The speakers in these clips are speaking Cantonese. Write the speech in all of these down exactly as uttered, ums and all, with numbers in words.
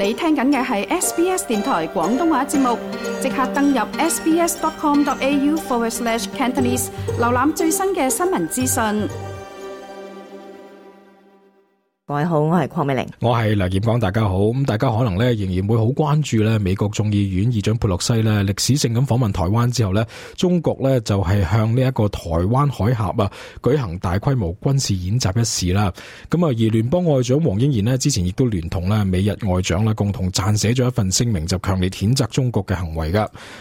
你聽緊嘅係 S B S 電台廣東話節目，即刻登入 sbs.com.au forward slash Cantonese， 瀏覽最新嘅新聞資訊。各位好，我係鄺美玲，我係梁劍光，大家好。咁大家可能咧仍然會好關注咧美國眾議院議長佩洛西咧歷史性咁訪問台灣之後咧，中國咧就係向呢一個台灣海峽啊舉行大規模軍事演習一事啦。咁啊，而聯邦外長黃英賢咧之前亦都聯同咧美日外長啦共同撰寫咗一份聲明，就強烈譴責中國嘅行為噶。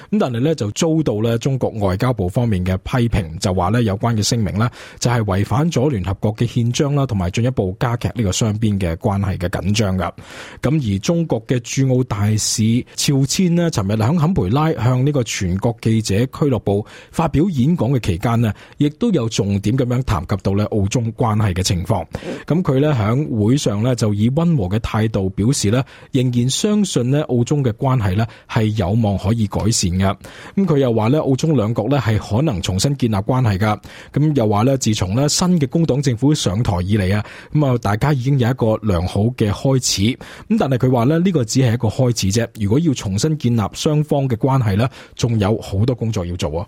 咁但係咧就遭到咧中國外交部方面嘅批評，就話咧有關嘅聲明咧就係違反咗聯合國嘅憲章啦，同埋進一步加劇呢個雙邊嘅關係嘅緊張噶。咁而中國嘅駐澳大使肖千呢，尋日喺坎培拉向呢個全國記者俱樂部發表演講嘅期間呢，亦都有重點咁樣談及到咧澳中關係嘅情況。咁佢咧喺會上咧就以溫和嘅態度表示咧，仍然相信咧澳中嘅關係咧係有望可以改善嘅。咁佢又話咧澳中兩國咧係可能重新建立關係噶。咁又話咧自從咧新嘅工黨政府上台以嚟啊，咁啊大家已經有一個良好嘅開始。咁但係佢話咧呢個只係一個開始啫，如果要重新建立雙方嘅關係咧，仲有好多工作要做啊。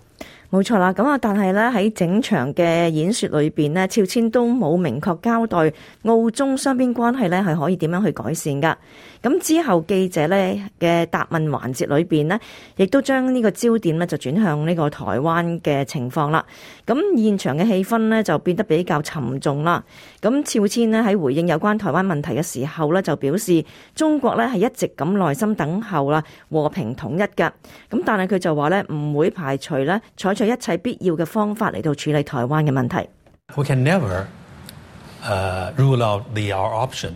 冇錯啦，咁啊，但係咧喺整場嘅演說裏邊咧，肖千都冇明確交代澳中雙邊關係咧係可以點樣去改善噶。咁之後記者咧嘅答問環節裏邊呢，亦都將呢個焦點咧就轉向呢個台灣嘅情況啦。咁現場嘅氣氛呢，就變得比較沉重啦。咁肖千呢，喺回應有關台灣問題嘅時候咧，就表示中國咧係一直咁耐心等候啦和平統一噶。咁但係佢就話咧唔會排除咧採取一切必要嘅方法嚟到處理台灣嘅問題。We can never, uh, rule out the our option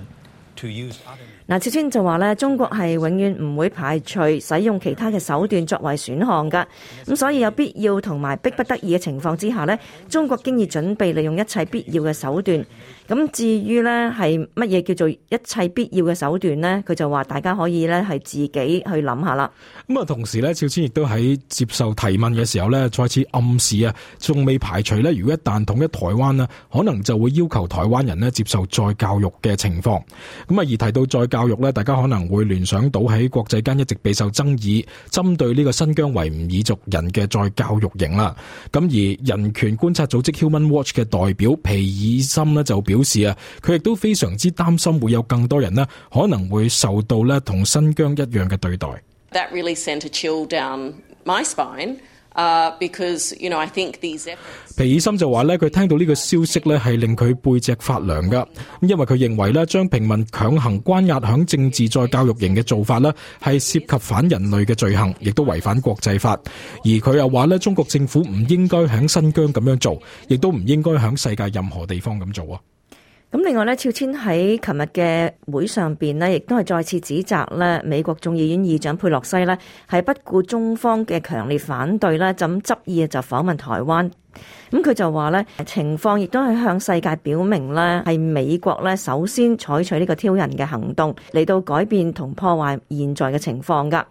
to use other... 嗱，肖千就話咧，中國係永遠唔會排除使用其他嘅手段作為選項㗎。咁所以有必要同埋迫不得已嘅情況之下呢，中國經已準備利用一切必要嘅手段。咁至於呢係乜嘢叫做一切必要嘅手段呢？佢就話大家可以呢係自己去諗下啦。咁啊，同時呢，肖千亦都喺接受提問嘅時候呢，再次暗示啊，仲未排除呢，如果一旦統一台灣呢，可能就會要求台灣人呢接受再教育嘅情況。咁啊，而提到再教育呢，大家可能會聯想到喺國際間一直備受爭議，針對呢個新疆維吾爾族人嘅再教育營啦。咁而人權觀察組織 Human Watch 嘅代表皮爾森呢就表示啊，佢亦都非常之擔心會有更多人呢可能會受到呢同新疆一樣嘅對待。That really sent a chill down my spine. Uh, because, you know, I think these efforts... 皮爾森就話咧，佢聽到呢個消息咧，係令佢背脊發涼噶。因為佢認為咧，將平民強行關押響政治再教育營嘅做法咧，係涉及反人類嘅罪行，亦都違反國際法。而佢又話咧，中國政府唔應該響新疆咁樣做，亦都唔應該響世界任何地方咁做啊。咁另外咧，肖千喺琴日嘅會上邊呢，亦都係再次指責咧美國眾議院議長佩洛西呢係不顧中方嘅強烈反對啦，就咁執意就訪問台灣。咁佢就話咧，情況亦都係向世界表明咧，係美國咧首先採取呢個挑釁嘅行動嚟到改變同破壞現在嘅情況噶。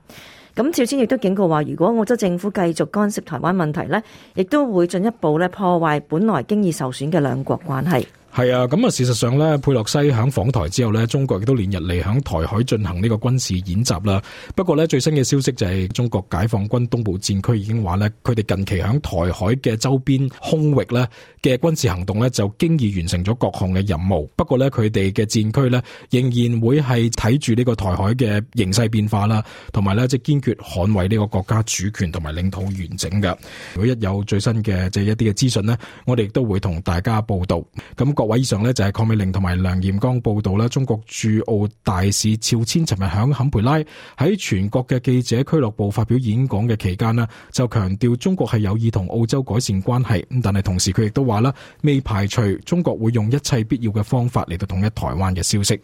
咁肖千亦都警告話，如果澳洲政府繼續干涉台灣問題咧，亦都會進一步咧破壞本來經已受損嘅兩國關係。係啊，咁啊，事實上咧，佩洛西響訪台之後咧，中國亦都連日嚟響台海進行呢個軍事演習啦。不過咧，最新嘅消息就係中國解放軍東部戰區已經話咧，佢哋近期響台海嘅周邊空域咧嘅軍事行動咧，就經已完成咗各項嘅任務。不過咧，佢哋嘅戰區咧仍然會係睇住呢個台海嘅形勢變化啦，同埋咧即係堅決捍衛呢個國家主權同埋領土完整嘅。如果一有最新嘅即係一啲嘅資訊咧，我哋亦都會同大家報道。咁各位以上呢就係鄺美玲同埋梁艷剛報道啦。中國駐澳大使肖千尋日響坎培拉喺全國嘅記者俱樂部發表演講嘅期間呢，就強調中國係有意同澳洲改善關係。咁但係同時佢亦都話啦，未排除中國會用一切必要嘅方法嚟到統一台灣嘅消息。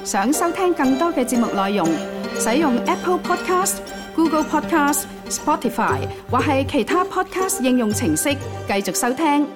想收聽更多嘅節目內容，使用 Apple Podcast、Google Podcast、Spotify 或係其他 Podcast 應用程式繼續收聽。